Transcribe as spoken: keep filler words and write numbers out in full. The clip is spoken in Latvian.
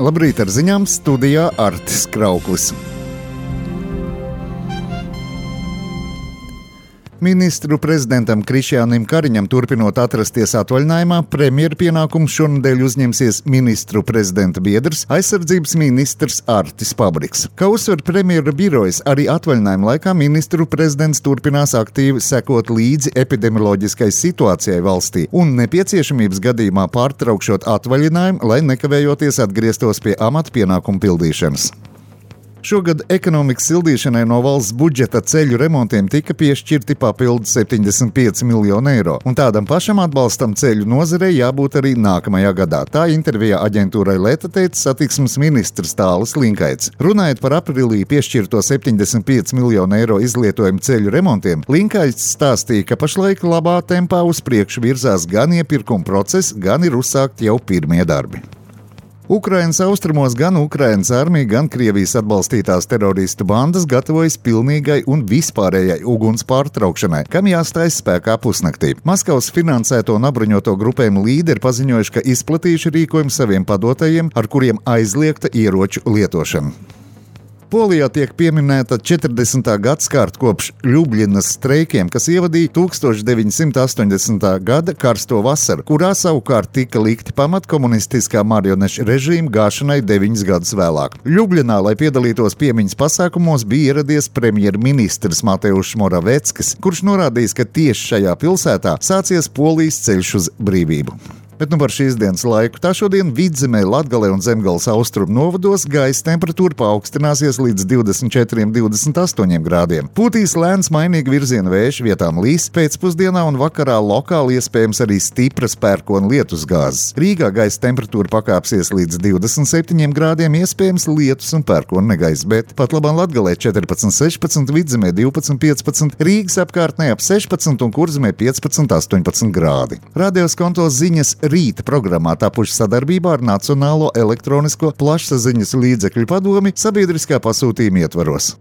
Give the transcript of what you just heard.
Labrīt, ar ziņām studijā Artis Krauklis. Ministru prezidentam Krišjānim Kariņam turpinot atrasties atvaļinājumā, premjera pienākumus šonedēļ uzņemsies ministru prezidenta biedrs, aizsardzības ministrs Artis Pabriks. Kā uzsver premjera birojas, arī atvaļinājuma laikā ministru prezidents turpinās aktīvi sekot līdzi epidemioloģiskai situācijai valstī un nepieciešamības gadījumā pārtraukšot atvaļinājumu, lai nekavējoties atgrieztos pie amata pienākumu pildīšanas. Šogad ekonomikas sildīšanai no valsts budžeta ceļu remontiem tika piešķirti papildu septiņdesmit pieci miljoni eiro, un tādam pašam atbalstam ceļu nozarei jābūt arī nākamajā gadā. Tā intervijā aģentūrai Leta teica satiksmes ministrs Tālis Linkaits. Runājot par aprīlī piešķirto septiņdesmit pieci miljoni eiro izlietojumu ceļu remontiem, Linkaits stāstīja, ka pašlaik labā tempā uz priekšu virzās gan iepirkuma process, gan ir uzsākt jau pirmie darbi. Ukrainas austrumos gan Ukrainas armija, gan Krievijas atbalstītās teroristu bandas gatavojas pilnīgai un vispārējai uguns pārtraukšanai, kam jāstājas spēkā pusnaktī. Maskavas finansēto un apbruņoto grupējumu līderi paziņojuši, ka izplatījuši rīkojumu saviem padotajiem, ar kuriem aizliegta ieroču lietošana. Polijā tiek pieminēta četrdesmitā gadskārta kopš Ļubļinas streikiem, kas ievadīja tūkstoš deviņsimt astoņdesmitā gada karsto vasaru, kurā savukārt tika likti pamat komunistiskā marionešu režīma gāšanai deviņus gadus vēlāk. Ļubļinā, lai piedalītos piemiņas pasākumos, bija ieradies premjerministrs Mateušs Moraveckis, kurš norādījis, ka tieši šajā pilsētā sācies Polijas ceļš uz brīvību. Bet nu par šīs dienas laiku. Tā šodien Vidzemē, Latgalē un Zemgales austrumu novados gaisa temperatūra paaugstināsies līdz divdesmit četriem līdz divdesmit astoņiem grādiem. Pūtīs lēns mainīga virziena vējš, vietām līs, pēcpusdienā un vakarā lokāli iespējams arī stipras pērkona lietusgāzes. Rīgā gaisa temperatūra pakāpsies līdz divdesmit septiņiem grādiem, iespējams lietus un pērkona negaiss, bet pat labāk Latgalē četrpadsmit sešpadsmit, Vidzemē divpadsmit piecpadsmit, Rīgas apkārtnē ap sešpadsmit un Kurzemē piecpadsmit astoņpadsmit grādi. Radios konto ziņas rīta programmā tapuši sadarbībā ar Nacionālo elektronisko plašsaziņas līdzekļu padomi sabiedriskā pasūtījuma ietvaros.